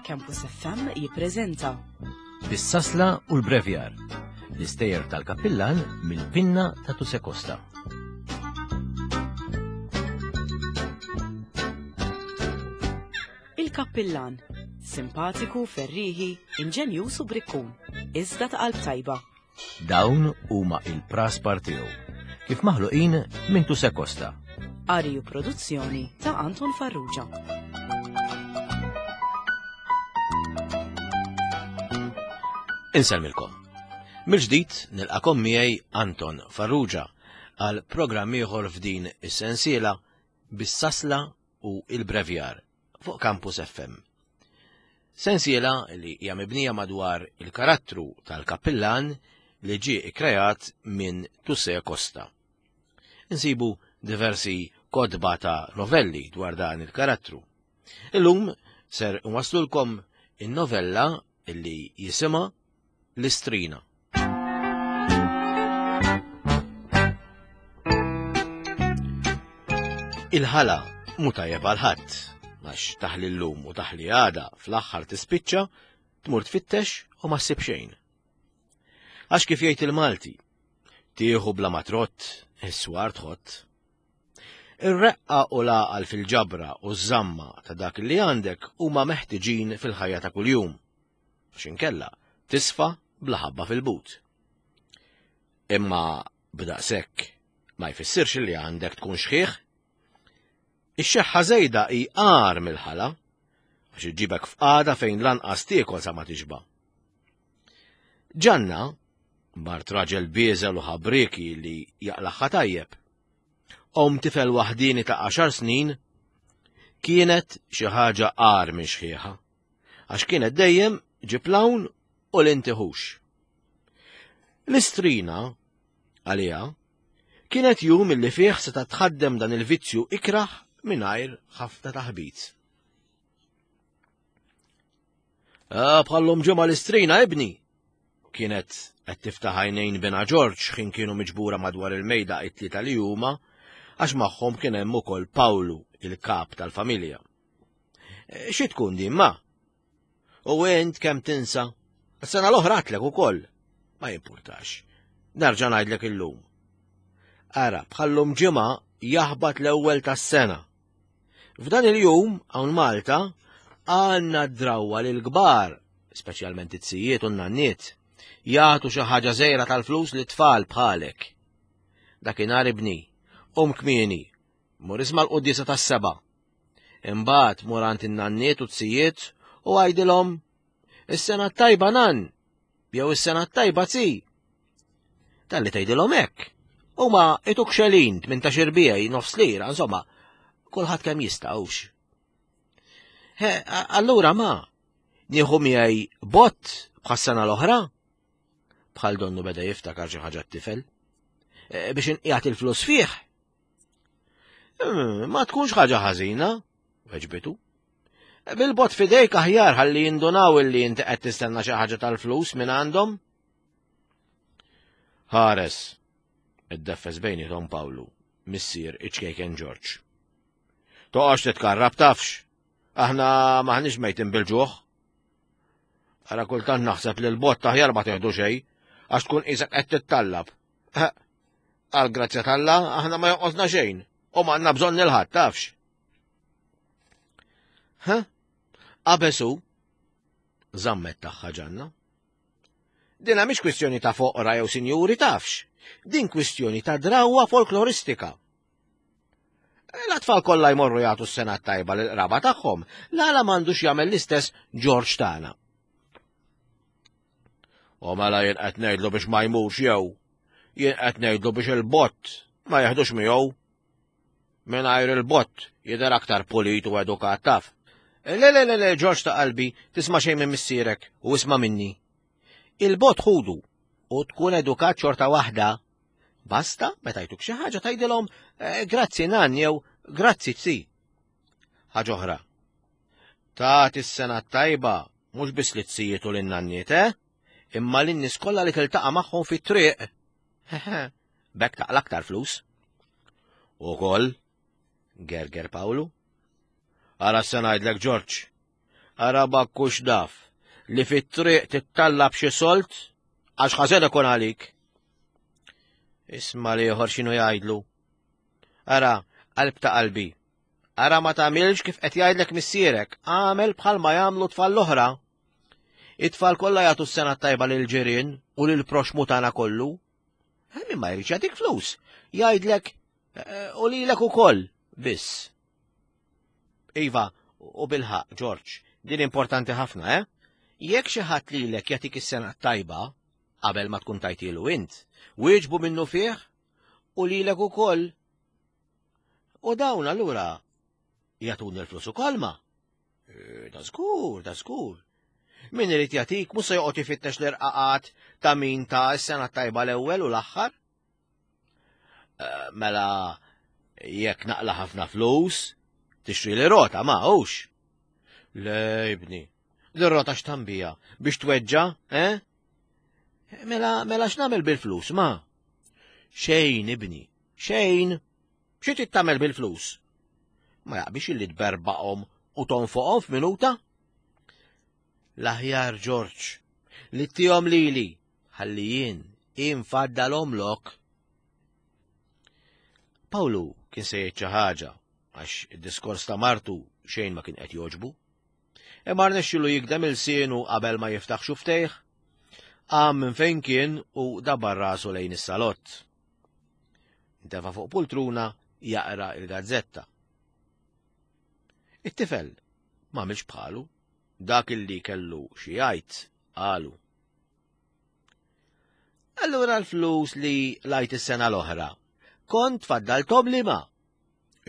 Campus FM jippreżenta Bis-sasla u l-brevjar, l-istejjer tal-kappillan mill-pinna ta' Tuse Costa. Il-Kappillan, simpatiku, ferrieħi, inġenjuż u brikkun, iżda ta' qalb tajba. Dawn huma il-praspar tiegħu, kif maħluqin minn Tuse Costa. Qari u produzzjoni ta' Anton Farrugia. Insellmilkom. Mill-ġdid nilqakom miegħi Anton Farrugia għal programm ieħor f'din is-sensiela bis-sasla u il-brevjar fuq Campus FM. Sensiela li hija mibnija madwar il-karattru tal-kappillan li ġie ikkreat minn Tusse Costa. Insibu diversi kotba ta' novelli dwar dan il-karattru. Illum ser nwaslulkom in-novella li jisimha L-Istrina. Il-ħala mu tajjeb għal ħadd, għax taħli llum u taħli għada fl-aħħar tispiċċa tmur tfittex u ma ssib xejn. Għax kif jgħid il-Malti, tieħu bla ma trott, is-swar tħott. Ir-reqqa u l-għaqal fil-ġabra u ż-żamma ta' dak li għandek huma meħtiġin fil-ħajja ta' kuljum. Għax inkella tisfa bla ħabba fil-but. Imma b'daqshekk ma jfissirx li għandek tkun xħiħ. Ix-xeħħa żejda hi agħar mill-ħala għax iġibek f'qagħda fejn lanqas tiekol sa ma tixba. Ġanna, mart raġel bieżel u ħabrieki li jaqlaħħa tajjeb. Om tifel waħdini ta' għaxar snin kienet xi ħaġa agħar minn xħieħa. Għax kienet dejjem ġib l-hawn u l-intihux. L-istrina, għaliha, kienet jum illi fih seta' tħaddem dan il-vizzju ikrah mingħajr ħafna taħbit. Ah, bħallum ġimgħa l-istrina ibni! Kienet qed tiftaħ għajnejn bina Ġorġ ħin kienu miġbura madwar il-mejda it-tlieta li huma għax magħhom kien hemm ukoll Pawlu, il-kap tal-familja. Eh, xi tkun din ma? U int kemm tinsa? Sena l-oħra għatlek ukoll. Ma jimpurtax. Nerġa' ngħidlek illum. Ara, bħallum ġimgħa jaħbat l-ewwel tas-sena. F'dan il-jum hawn Malta għandna drawwa lil kbar, speċjalment it-sijiet u n-nanniet, jagħtu xi ħaġa żejra tal-flus li tfal bħalek. Dakinhar ibni, um kmieni, mur isma' l-quddiesa tas-seba' Imbagħad mur għand in-nanniet u t-sijiet u għajdilhom is-sena tajba nan jew is-sena tajba zi. Talli tgħidilhom hekk. Huma ituk xelin 18 irbijaj nofs lira, insomma, kulħadd kemm jista' hux. Allura ma, nieħu miegħi bott bħas-sena l-oħra? Bħal donnu beda jiftakar xi ħaġa t-tifel. E, biex inqiegħed il-flus fih. Hmm, ma tkunx ħaġa ħażina, weġbitu. Bil-bot fidejk aħjar ħalli jindunaw illi inti qed tistenna xi ħaġa tal-flus minn għandhom. Ħares, iddeffes bejnietom Pawlu, missier iċ-ċkejken Ġorġ. Toqgħodx titkarrab tafx, aħna maħniex mejtin bil-ġuħ. Ara kultant naħseb li l-bot aħjar ma teħdu xejn, għax tkun qisek qed tittallab. Għal grazzja t'Alla aħna ma jonqosna xejn u ma għandna bżonn il-ħadd tafx. Ha? Qabesu żammet tagħha ġanna. Dina mhix kwistjoni ta' foqra jew sinjuri tafx. Din kwistjoni ta' drawwa folkloristika. L-atfal kollha jmorru jagħtu s-sena tajba lil qraba tagħhom, l-għala m'għandux jagħmel l-istess Ġorġ tagħna. U mela jien qed ngħidlu biex ma jmurx jew jien qed ngħidlu biex il-bott ma jeħdux miegħu. Mingħajr il-bott jidher aktar pulit u edukat taf. Le le le le Ġorġ ta' qalbi, tisma' xejn minn missierek u isma' minni. Il-bott ħudu u tkun edukat xorta waħda. Basta, meta jtuk xi ħaġa tgħidilhom eh, grazzi nan jew grazzi tzi. Ħaġa oħra. Tagħti s-sena tajba mhux biss li tzijiet u lin-nanniet, eh? Imma lin-nies kollha li tiltaqa' magħhom fit-triq. B'hekk taqla' aktar flus. Ukoll, gerger Pawlu. Ara se ngħidlek Ġorġ. Ara bakkux daf li fit-triq tittallab xi solt għax ħażen ikun għalik. Isma' l-ieħor x'inhu jgħidlu. Ara, qalb ta' qalbi. Ara ma tagħmilx kif qed jgħidlek missierek, għamel bħalma jagħmlu tfal l-oħra. It-tfal kollha jagħtu s-sena tajba lil ġirien u lil proxmu tagħna kollu. Min ma jridx jagħtik flus, jgħidlek eh, u lilek ukoll biss. Iva, u bilħaq, Ġorġ, din importanti ħafna, eh? Jekk xi ħadd lilek jagħtik is-sena tajba, qabel ma tkun tajtilu int, wieġbu minnu fih u lilek ukoll. U dawn allura jagħtuni l-flus ukoll ma. E, da żgur, da żgur. Min irid jagħtik mhux se joqgħod ifittex l-irqaqat ta' min ta' s-sena tajba l-ewwel u l-aħħar. E, mela jekk naqla ħafna flus, tixtri li rota ma hux. Le, ibni, l-rota x'tambija biex tweġġa, eh? Mela, mela x'nagħmel bil-flus, ma? Xejn, ibni, xejn. Xi trid tagħmel bil-flus? Ma jaqbix illi tberbaqhom u tonfoqhom f'minuta? L-aħjar Ġorġ, li tihom lili, ħalli jien infaddalhomlok. Pawlu kien se jgħid xi ħaġa għax id-diskors ta' martu xejn ma kien qed jogħġbu. Imma rnexxilu jigdem ilsienu qabel ma jiftaħ xuftejh. Qam minn fejn kien u dabar rasu lejn is-salott. Intefa' fuq pultruna jaqra il-gazzetta. It-tifel ma għamilx bħalu, dak illi kellu xi jgħid qalu. Allura l-flus li lajt is-sena l-oħra, kont faddaltom li ma.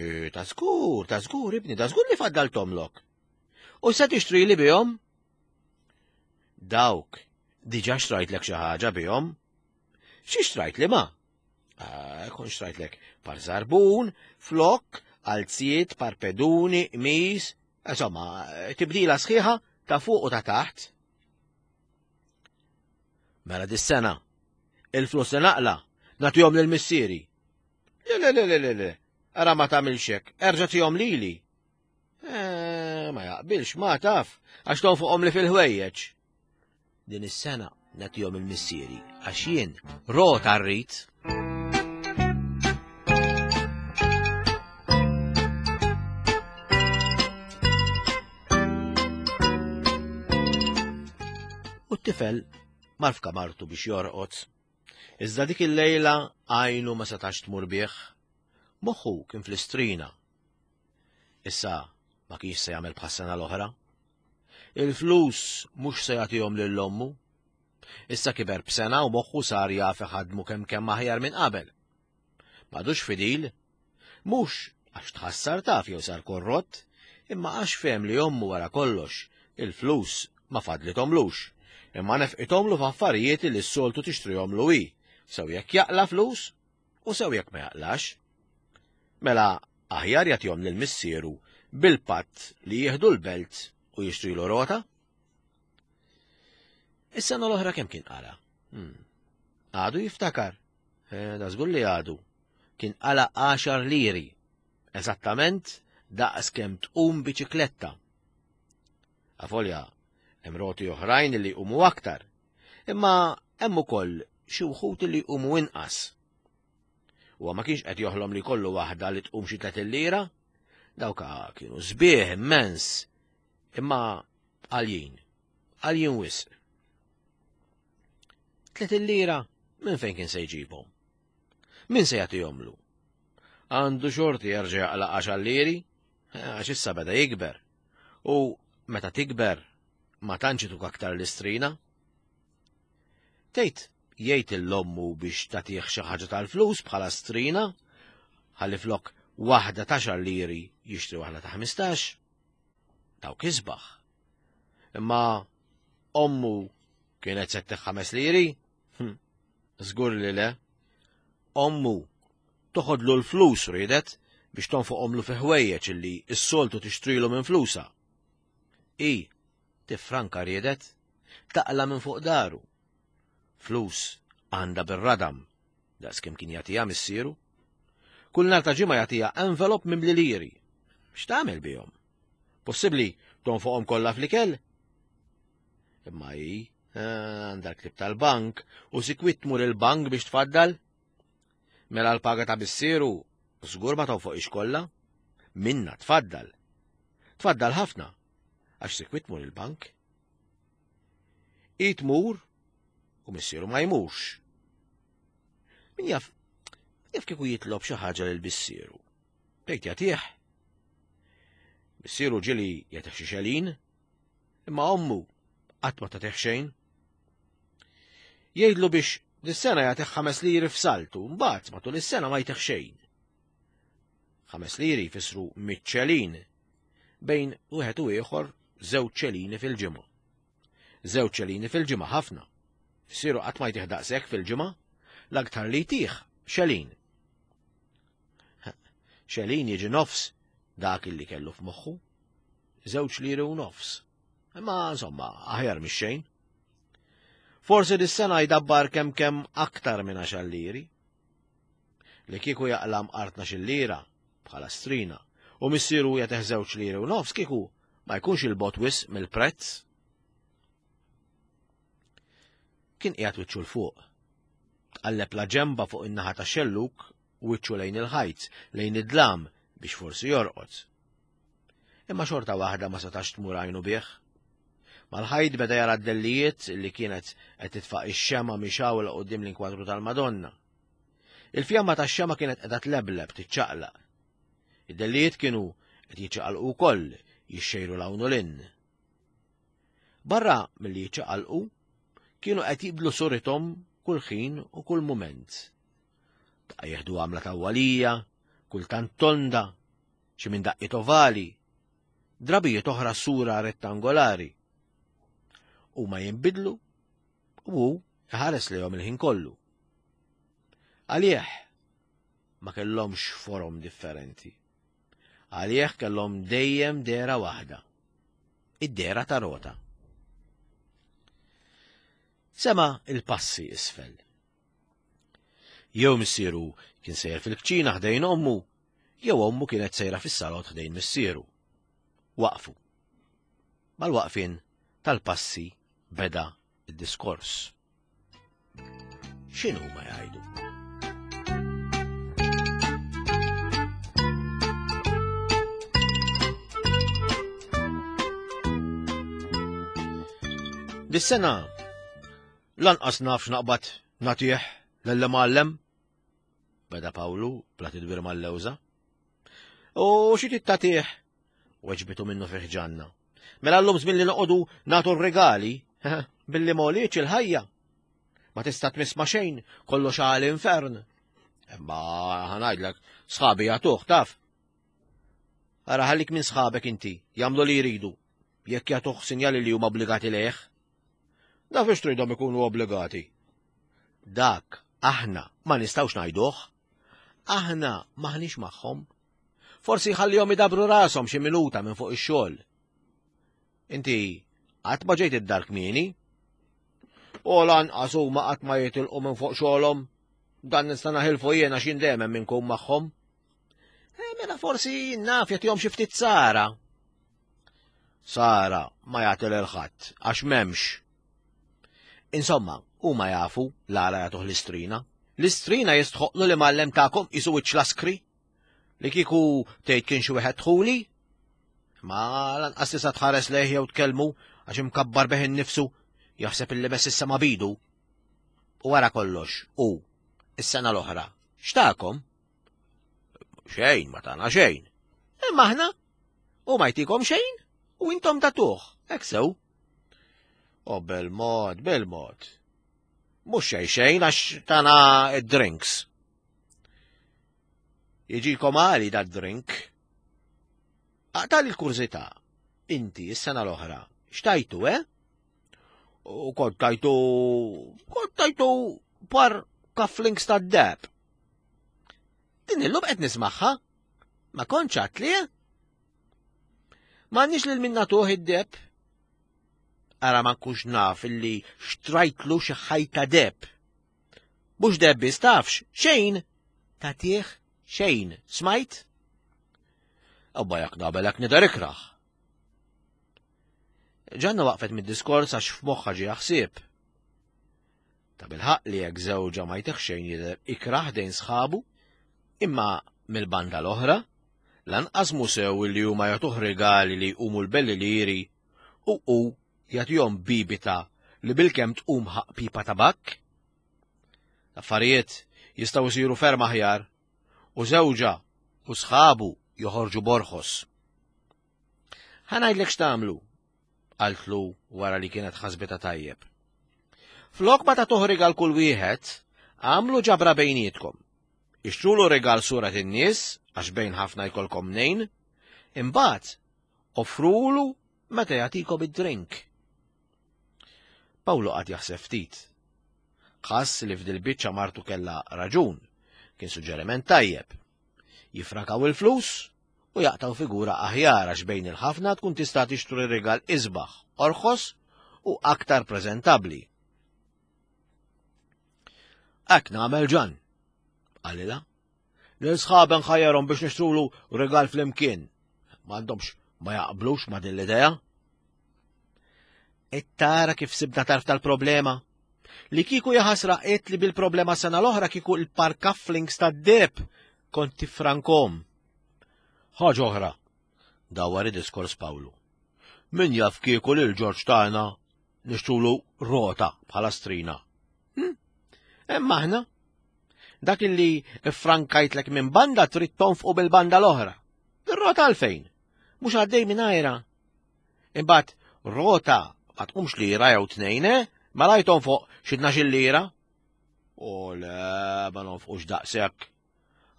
E, ta' żgur, ta' żgur, ibni, ta' żgur li faddaltomlok. U se tixtri li bihom? Dawk, diġa xtrajtlek xi ħaġa bihom. Xi xtrajt li ma? Ah, kon xtrajtlek par zarbun, flok, alziet, parpeduni, qmis, insomma, tibdila sħiħa ta' fuq u ta' taħt. Mela dis-sena, il-flus li naqla, nagħtihom lil missieri. Le, le, le, le, le, le, ara ma tagħmilx hekk, erġa' tihom lili. Eh, ma jaqbilx, ma taf, għax tonfoqhom li fil-ħwejjeġ. Din is-sena nagħtihom il-missieri għax jien rota rrid. U t-tifel mar f'kamartu biex jorqod. Iżda dik il-lejla għajnu ma setax tmur bih. Moħħu kien fl-istrina. Issa ma kienx se jagħmel bħas-sena l-oħra. Il-flus mhux se jagħtihom lil ommu. Issa kiber b'sena u moħħu sar jaf iħaddmu kemm kemm aħjar minn qabel. M'għadux fidil, mhux għax tħassar taf jew sar korrott, imma għax fehem li ommu wara kollox il-flus ma fadlithomlux, imma nefqithomlu f'affarijiet li s-soltu tixtrihomlu hi, sew jekk jaqla' flus u sew jekk ma jaqlax. Mela aħjar jagħtihom lil missieru bil-patt li jieħdu l-belt u jixtrilu rota? Is-sena l-oħra kemm kien qala? Hmm. Għadu jiftakar. Eh, da żgur li għadu. Kien qala 10 liri. Eżattament daqs kemm tqum biċikletta. Avolja, hemm roti oħrajn li jqumu aktar, imma hemm ukoll xi wħud li jqumu inqas. Huwa ma kienx qed joħlom li jkollu waħda li tqum xi 30 lira, dawk kienu sbieħ immens, imma għaljin, għaljin wisq. 30 lira minn fejn kien se jġibhom? Min se jagħtihomlu? Għandu xorti jerġa' jaqla' għaxar liri, eh, għax issa beda jikber. U meta tikber, ma tantx ituk aktar l-istrina. Tgħid jgħid l-ommu biex tagħtih xi ħaġa tal-flus bħala strina, ħalli flok waħda ta' xar liri jixtri waħda ta' 15. Dawk isbaħ. Imma ommu kienet se ħames liri? Hm, żgur li le. Ommu toħodlu l-flus riedet biex tonfoqhomlu fi ħwejjeġ illi s-soltu tixtrilu minn flusa. I, tifranka riedet, taqla minn fuq daru. Flus għandha bir-radam, daqs kemm kien jagħtiha missieru. Kull nhar ta' ġimgħa jagħtiha envelop mimli liri. X'tagħmel bihom? Possibbli tonfoqhom kollha fl-ikel? Imma hi eh, għandha l-klib tal-bank u sikwit tmur il-bank biex tfaddal. Mela l-paga ta' missieru żgur ma tonfoqix kollha. Minna tfaddal. Tfaddal ħafna għax sikwit tmur il-bank. Hi tmur u missieru ma jmurx. Min jaf, jaf kieku jitlob xi ħaġa lil missieru. Tgħid jagħtih. Missieru ġieli jagħtih xi xelin, imma ommu qatt ma tagħtih xejn. Jgħidlu biex dis-sena jagħtih ħames liri f'saltu, mbagħad matul is-sena ma jtih xejn. Ħames liri jfissru miċ-ċelin, bejn wieħed u ieħor żewġ ċelini fil-ġimgħa. Żewġ ċelini fil-ġimgħa ħafna. Missieru qatt ma jtih daqshekk fil-ġimgħa, l-aktar li jtih xelin. Xelin jiġi nofs dak illi kellu f'moħħu. Żewġ liri u nofs. Imma insomma, aħjar mix-xejn. Forsi dis-sena jdabbar kemm kemm aktar minn għaxar liri. Li kieku jaqla' mqar tnax-il lira, bħala strina, u missieru jagħtih żewġ liri u nofs kieku ma jkunx 'il bogħod wisq mill-prezz. Kien qiegħed wiċċu 'l fuq. Tqalleb la ġemba fuq in-naħa tax-xellug wiċċu lejn il-ħajt, lejn id-dlam biex forsi jorqod. Imma xorta waħda ma setax tmur għajnu bih. Mal-ħajt beda jara d-dellijiet li kienet qed titfa' ix-xema mixgħula quddiem l-inkwadru tal-Madonna. Il-fjamma tax-xema kienet qiegħda tlebleb, tiċċaqlaq. Id-dellijiet kienu qed jiċċaqalqu wkoll, jixxejru 'l hawn u 'l hinn. Barra milli jiċċaqalqu, kienu qed jibdlu surithom kull ħin u kull mument. Daqqa jieħdu għamla tawwalija, kultant tonda, xi minn daqqiet ovali, drabijiet oħra sura rettangolari. Huma jinbidlu u hu iħares lejhom il-ħin kollu. Għalih ma kellhomx forom differenti. Għalih kellhom dejjem dehra waħda. Id-dehra ta' rota. Sema il-passi isfel. Jew missieru kien sejjer fil-kċina ħdejn ommu, jew ommu kienet sejra fis-salott ħdejn missieru. Waqfu. Mal-waqfien tal-passi beda id-diskors. X'inhu ma jgħidu? Dis-sena lanqas naf x'naqbad nagħtih lill-imgħallem. Beda Pawlu bla tidwir mal-lewża. U xi trid tagħtih? Weġbitu minnu fih ġanna. Mela llum żmien li noqogħdu nagħtu r-rigali billi m'għolietx il-ħajja. Ma tista' tmiss ma' xejn, kollox għal infern. Imma ħanajdlek, sħabi jagħtuh taf. Ara ħallik minn sħabek inti, jagħmlu li jridu, jekk jagħtuh sinjali li huma obbligati lejh. Naf biex tridhom ikunu obbligati. Dak aħna ma nistgħux ngħiduh. Aħna maħniex magħhom. Forsi jħallihom idabru rashom xi minuta minn fuq ix-xogħol. Inti qatt ma ġejt id-dar kmieni? U lanqas huma qatt ma jitilqu minn fuq xogħolhom. Dan nista' naħilfu jiena x'jien dejjem hemm inkun magħhom. Eh, mela forsi naf jagħtihom xi ftit sara. Sara ma jagħti lil ħadd għax m'hemmx. Insomma, huma jafu l-għala jagħtuh l-istrina. L-istrina jistħoqlu li mgħallem tagħkom qisu wiċċ laskri. Li kieku tgħid kien xi wieħed dħuli? Ma lanqas tista' tħares lejh jew tkellmu għax imkabbar bih innifsu jaħseb illi mess issa ma bidu. U wara kollox, u is-sena l-oħra, x'takom? Xejn, ma tagħna xejn. Imma aħna u ma jtikom xejn u intom tagħtuh, hekk sew. O bil-mod, bil-mod. Mhux xejn xejn għax tana id-drinks. Jiġikom għali da drink. Aqtal il-kurżità, inti s-sena l-oħra, xtajtu, eh? U kont tajtu, kont tajtu par cufflinks ta' deb. Din illum qed nismaħħa. Ma kontx għatli, eh? M'għandniex lil min nagħtuh id-deb. Ara ma nkunx naf illi xtrajtlu xi ħajta deb. Mhux deb biss tafx, xejn tagħtih xejn, smajt? Abba jak nabelek nidher ikraħ. Ġanna waqfet mid-diskors għax f'moħħha ġie ħsieb. Ta' bilħaq li jekk żewġha ma jtih xejn jidher ikrah dejn sħabu, imma mill-banda l-oħra, lanqas mhu sew li huma jagħtuh rigali li jqumu l-belli liri u hu jagħtihom bibita li bilkemm tqum ħaqq pipa tabakk. L-affarijiet jistgħu jsiru ferm aħjar u żewġha u sħabu joħorġu borħos. Ħa ngħidlek x'tagħmlu, qaltlu wara li kienet ħasbitha tajjeb. Flok ma tagħtuh rigal kull wieħed, għamlu ġabra bejnietkom. Ixtrulu rigal surat in-nies, għax bejn ħafna jkollkom mnejn, imbagħad offrulu meta jagħtikom id-drink. Pawlu qagħad jaħseb ftit. Ħass li f'dil-biċċa martu kellha raġun, kien suġġeriment tajjeb. Jifrakaw il-flus u jaqtgħu figura aħjar għax bejn il-ħafna tkun tista' tixtru rigal isbaħ, orħos u aktar preżentabbli. Hekk nagħmel ġan, qalilha. Lil sħaben ħajjarhom biex nixtrulu rigal flimkien. M'għandhomx ma jaqblux ma' din l-idea. Et tara kif sibna tarf tal-problema. Li kieku jaħasra qed li bil-problema sena l-oħra kieku il-parkafflings tad-deb kont tifrankom. Ħaġa oħra, dawwar id-diskors Pawlu. Min jaf kieku lil Ġorġ tagħna nixtrulu rota bħala strina. Hm? Imma aħna dak illi frankajtlek minn banda trid tonfqu bil-banda l-oħra. Ir-rota għalfejn? Mhux għaddej minn ajra. Imbagħad rota ma tqumx lira jew tnejn, eh? Ma lajthom fuq xi tnax-il lira. U le, ma nonfqux daqshekk.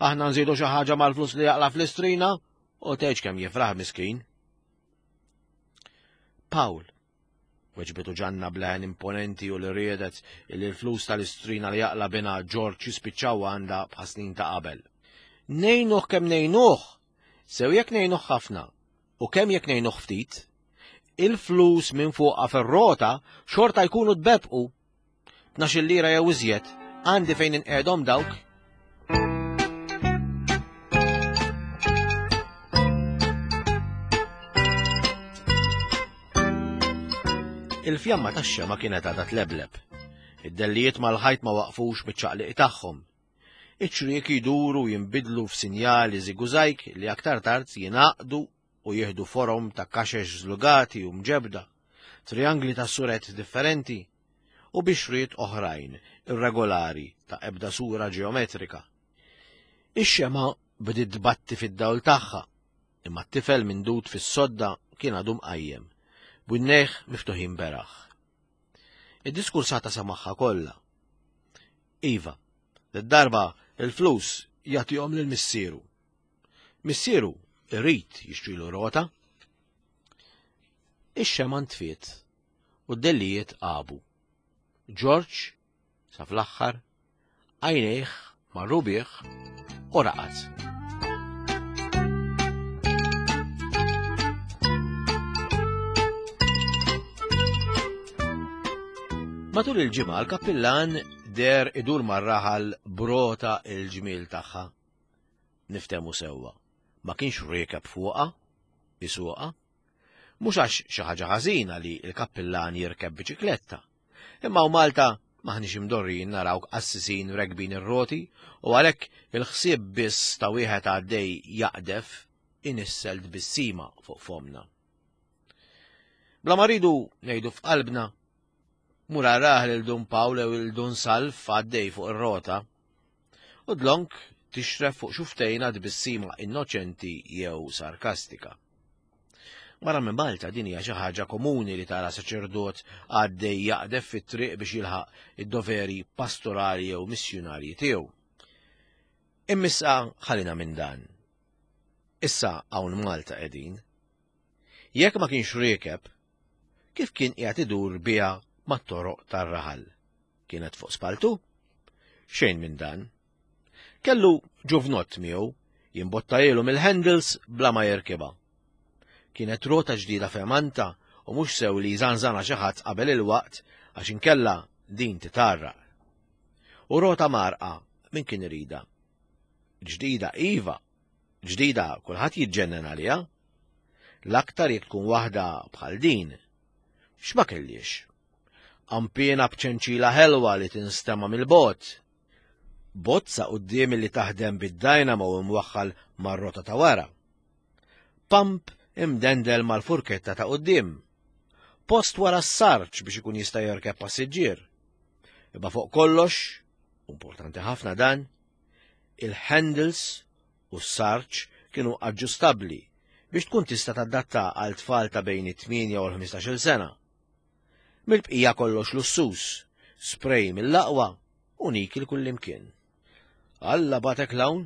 Aħna nżidu xi ħaġa mal-flus li jaqla fl-istrina u tgħidx kemm jifraħ miskin. Pawl, weġbitu ġanna bleħen imponenti u li riedet li l-flus tal-istrina li jaqla bina Ġorġ jispiċċaw għandha bħas snin ta' qabel. Nejnuh kemm nejnuh, sew jekk nejnuh ħafna u kemm jekk nejnuh ftit, il-flus minn fuqha fir-rota xorta jkunu tbebqu. 12 lira jew iżjed, għandi fejn inqegħdhom dawk. Il-fjamma tax-xema kienet għadha tlebleb. Id-dellijiet mal-ħajt ma waqfux miċ-ċaqliq tagħhom. Iċ-ċrieki jduru jinbidlu f'sinjali żigużajk li aktar tard jingħaqdu u jieħdu forom ta' kaxex żlugati u mġebbda, triangli ta' suret differenti, u bixriet oħrajn irregolari ta' ebda sura ġeometrika. Ix-xemgħa bdiet tbatti fid-dawl tagħha, imma t-tifel mindud fis-sodda kien għadu mqajjem, b'winnejh miftuħin beraħ. Id-diskursata samagħha kollha. Iva, d-darba il-flus jagħtihom lil missieru. Missieru irid jixtrilu rota. Ix-xemgħa ntfiet u d-dellijiet għabu. Ġorġ, sa fl-aħħar, għajnejh marru bih u raqad. Matul il-ġimgħa l-kappillan der idur mar-raħal brota il-ġmiel tagħha. Niftehmu sewwa, ma kienx riekeb fuqha, isuqha. Mhux għax xi ħaġa ħażina li l-kappillan jirkeb biċikletta. Imma u Malta maħniex imdorrijin naraw qassisin rekbin ir-roti u għalhekk il-ħsieb biss ta' wieħed għaddej jaqdef inissel tbissima fuq fomna. Bla ma rridu ngħidu f'qalbna, mur arah lil Dun Pawl jew lil Dun Salv għaddej fuq ir-rota. U dlonk tixref fuq xuftejna tbissima innoċenti jew sarkastika. Barra minn Malta din hija xi ħaġa komuni li tara saċerdot għaddej jaqdef fit-triq biex jilħaq id-doveri pastorali jew missjunarji tiegħu. Immissa ħalina minn dan. Issa hawn Malta qegħdin. Jekk ma kienx riekeb, kif kien qiegħed idur biha mat-toroq tar-raħal? Kienet fuq spaltu? Xejn minn dan. Kellu ġuvnott miegħu jimbottajielu mill-handles bla ma jirkibha. Kienet rota ġdida femanta u mhux sew li jżanżana xi ħadd qabel il-waqt għax inkella din titarraq. U rota marqa min kien irida. Ġdida iva, ġdida kulħadd jiġġennen għaliha. L-aktar jekk tkun waħda bħal din. X'ma kellix? Qanpiena b'ċenċila ħelwa li tinstema' mill-bogħod. Bozza quddiem li taħdem bid-dynamo imwaħħal mar-rota ta' wara. Pump imdendel mal-furketta ta' quddiem. Post wara s-sarġ biex ikun jista' jerkeb passiġġier. Imma fuq kollox, importanti ħafna dan, il-handles u s-sarġ kienu aġġustabbli biex tkun tista' tadatta għal tfal ta' bejn it-8 u l-15-il sena. Mill-bqija kollox lussuż, spray mill-aqwa u nikil kullimkien. Alla batek l-hawn,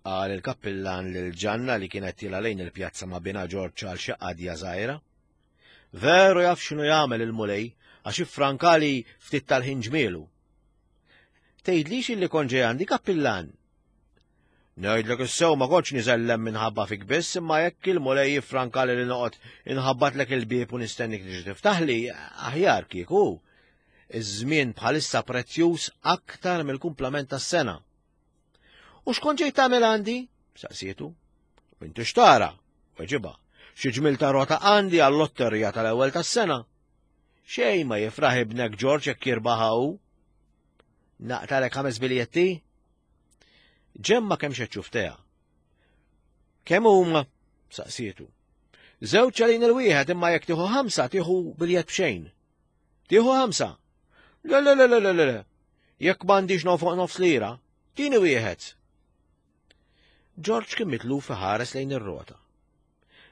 qal il-kappillan lil Ġanna li kienet tila lejn il-pjazza ma' binha Ġorġ għal xi qadja żgħira. Veru jaf x'inhu jagħmel il-Mulej għax iffrankali ftit tal-ħin ġmielu. Tgħidlix illi kont ġej għandi kappillan Ngħidlek is-sew ma kontx niżellem minħabba fik biss, imma jekk il-Mulej jiffrankali li noqgħod inħabbatlek il-bieb u nistennik tiġi tiftaħli, aħjar kieku. Iż-żmien bħalissa prezzjuż aktar mill-kumplament tas-sena. U x'kont ġejt tagħmel għandi? Saqsietu. Inti xtara, weġiba. Xi ġmil ta' rota għandi għall-lotterija tal-ewwel tas-sena. Xejn ma jifraħ ibnek Ġorġ jekk jirbaħa hu. Naqtalek ħames biljetti? Ġemma kemm xeċċufteha. Kemm huma? saqsietu. Żewġ għalin il-wieħed imma jekk tieħu ħamsa tieħu biljett b'xejn. Tieħu ħamsa? Le le le le le le. Jekk m'għandix fuq nofs lira, tieni wieħed. George kien mitluf iħares lejn ir-rota.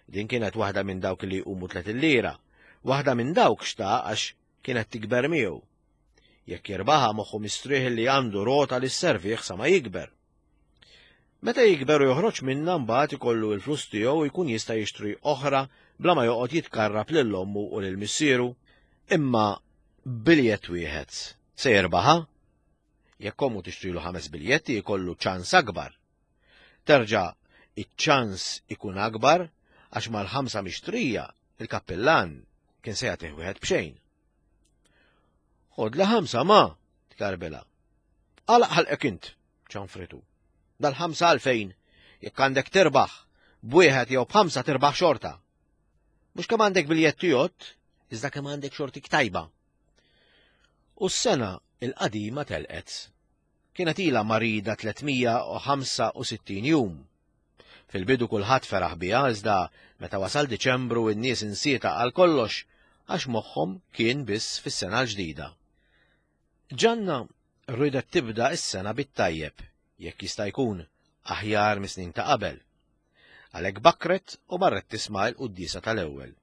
Din kienet waħda minn dawk li jqumu tlet lira, waħda minn dawk xtaq għax kienet tikber miegħu. Jekk jirbaħa moħħu mistrieħ li għandu rota li sservih sa ma jikber. Meta jikber u joħroġ minnha mbagħad ikollu l-flus tiegħu jkun jista' jixtri oħra bla ma joqgħod jitkarrab lil ommu u lil missieru. Imma biljett wieħed se jirbaħa? Jekk ommu tixtrilu ħames biljetti jkollu ċans akbar. Terġa' iċ-ċans ikun akbar għax mal-ħamsa mixtrija il-kappillan kien se jagħtih wieħed b'xejn. Ħodli ħamsa ma, tkarbela. Għalaq ħalqek int, ċanfritu. Dal-ħamsa għalfejn, jekk għandek tirbaħ, b'wieħed jew b'ħamsa tirbaħ xorta. Mhux kemm għandek biljetti jott, iżda kemm għandek xortik tajba. U s-sena il-qadima telqet. Kienet ilha marida 365 jum. Fil-bidu kulħadd feraħ biha iżda meta wasal Diċembru n-nies insieta għal kollox għax moħħhom kien biss fis-sena l-ġdida. Ġanna rridet tibda s-sena bit-tajjeb, jekk jista' jkun aħjar mis-snin ta' qabel. Għalhekk bakkret u marret tisma' l-quddiesa tal-ewwel.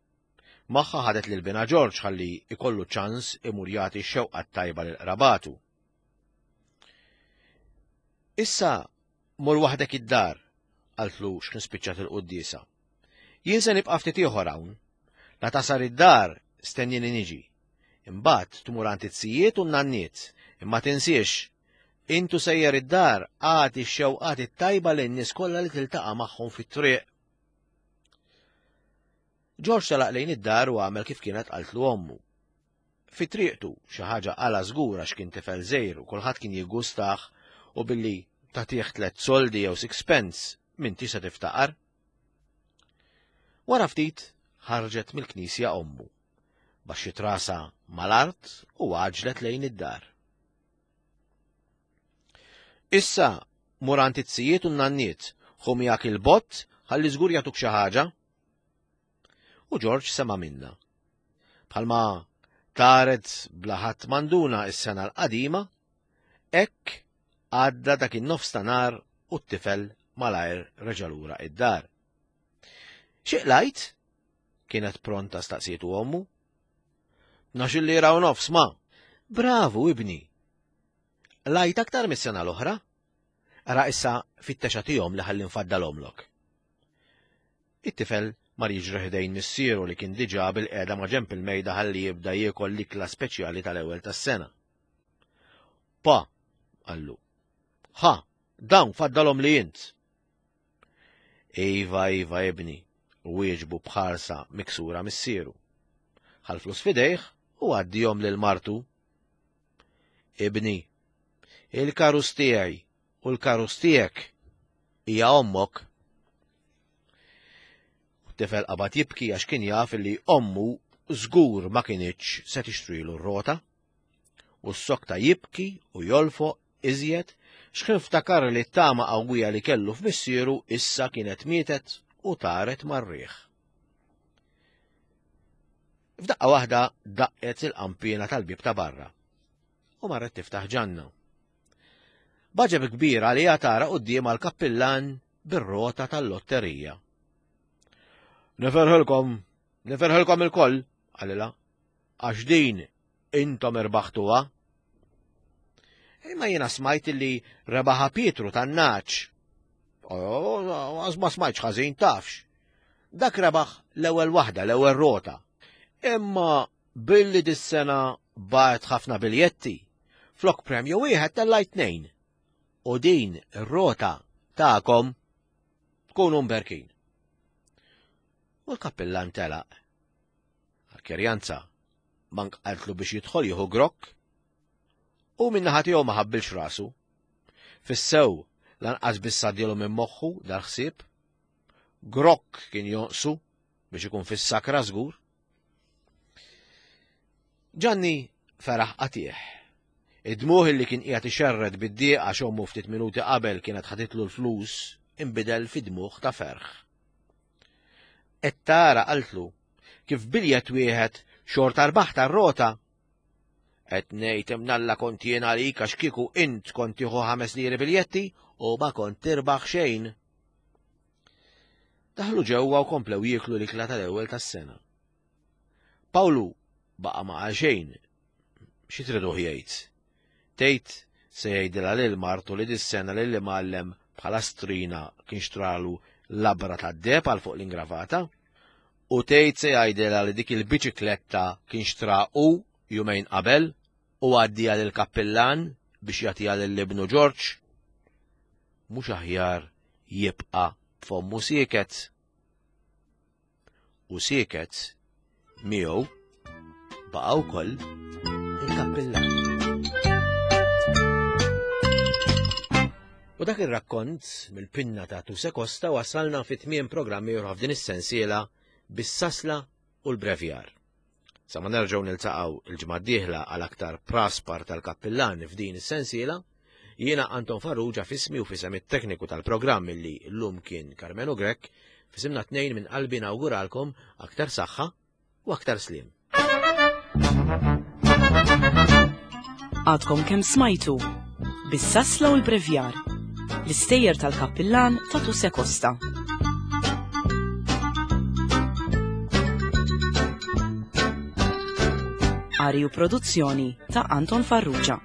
Magħha ħadet lil binha Ġorġ ħalli ikollu ċans imur jagħti x-xewqa t-tajba lil qrabatu. Issa mur waħdek id-dar, qaltlu x'kien spiċċat il-quddiesa. Jien se nibqa' ftit ieħor hawn. La tasar id-dar stennini niġi. Imbagħad tmur għand it-sijiet u n-nanniet, imma tinsiex, intu sejjer id-dar agħti x-xewqat it-tajba lin-nies kollha li tiltaqa' magħhom fit-triq. Ġorġ telaq lejn id-dar u għamel kif kienet qaltlu ommu. Fi triqtu, xi ħaġa qala żgur għax kien tifel żgħir u kulħadd kien jiggustah u billi tagħtih tliet soldi jew sixpence m'intix se tiftaqar. Wara ftit ħarġet mill-knisja ommu. Baxxiet rasha mal-art u għaġġlet lejn id-dar. Issa mur għand it-sijiet u n-nanniet, ħu miegħek il-bott ħalli żgur jagħtuk xi ħaġa. U Ġorġ sema' minnha. Bħalma taret bla ħadd manduna s-sena l-qadima, hekk għadda dak in-nofs ta' nhar u t-tifel malajr reġa' lura id-dar. Xi qlajt? Kienet pronta staqsietu ommu. Tnax-il lira u nofs, ma. Bravu, ibni! Qlajt aktar mis-sena l-oħra? Ara issa fittex agħtihom li ħalli nfaddalhomlok. It-tifel mar jiġri ħdejn missieru li kien diġà bilqiegħda ma' ġenb il-mejda ħalli jibda jiekol l-ikla speċjali tal-ewwel tas-sena. Pa, qallu. Ħa, dawn faddalhom li int. Iva, iva, ibni, wieġbu b'ħarsa miksura missieru. Ħa l-flus f'idejh u għaddihom lil martu. Ibni, il-karus tiegħi u l-karus tiegħek hija ommok. U t-tifel qabad jibki għax kien jaf li ommu żgur ma kinitx se tixtrilu r-rota. U ssokta jibki u jolfoq iżjed x'ħin ftakar li t-tama qawwija li kellu f'missieru issa kienet mietet u taret mar-riħ. F'daqqa waħda daqqet il-qanpiena tal-bieb ta' barra u marret tiftaħ Ġanna. B'għaġeb kbir għaliha tara quddiemha l-kappillan bir-rota tal-lotterija. Niferħilkom, niferħilkom ilkoll, qalilha, għax din intom irbaħtuha. Imma jiena smajt li rebaħa Pietru tan-naċ. Għaż ma smajtx ħażin tafx. Dak rebaħ l-ewwel waħda, l-ewwel rota. Imma billi dis-sena bagħat ħafna biljetti, flok premju wieħed tellajt tnejn. U din ir-rota tagħkom tkunu mberkin. U l-kappillan telaq. Għal-kerjanza, mank qaltlu biex jidħol jieħu grokk. U min-naħa tiegħu ma ħabbilx rasu. Fis-sew lanqas biss għaddielu minn moħħu dal-ħsieb. Grokk kien jonqsu biex ikun fis-sakra żgur. Ġanni feraħ qatih. Id-dmuħ li kien qiegħed ixerred bid-dieq għax ommu ftit minuti qabel kienet ħaditlu l-flus inbidel fi dmuħ ta' ferħ. Qed tara qaltlu kif biljett wieħed xorta rbaħt tar-rota. Qed ngħid imnalla kont jien għalik għax kieku int kont tieħu ħames liri biljetti u ma kont tirbaħ xejn. Daħlu ġewwa u komplew jieklu l-ikla tal-ewwel tas-sena. Pawlu baqa' ma qal xejn. Xi triduh jgħid? Tgħid se jgħidilha lil martu li dis-sena lil imgħallem bħala strina kien xtralu labra tad-deheb għal fuq l-ingravata? U tgħid se jgħidilha li dik il-biċikletta kien xtra hu jumejn qabel u għaddiha lill-kappillan biex jagħtiha lil ibnu Ġorġ? Mhux aħjar jibqa' b'fommu sieket? U sieket miegħu baqa' wkoll il-kappillan. U dak ir-rakkont mill-pinna ta' Tuse Costa wasalna fi tmiem programm ieħor f'din is-sensiela bis-sasla u l-brevjar. Sa ma nerġgħu niltaqgħu il-ġimgħa d-dieħla għal aktar praspar tal-kappillan f'din is-sensiela, jiena Anton Farrugia f'ismi u f'isem it-tekniku tal-programm illi llum kien Karmenu Grech, f'isimna tnejn minn qalbi nawguralkom aktar saħħa u aktar sliem. Għadkom kemm smajtu bis-sasla u l-brevjar l-istejjer tal-kappillan ta' Tuse Costa. Qari u produzzjoni ta' Anton Farrugia.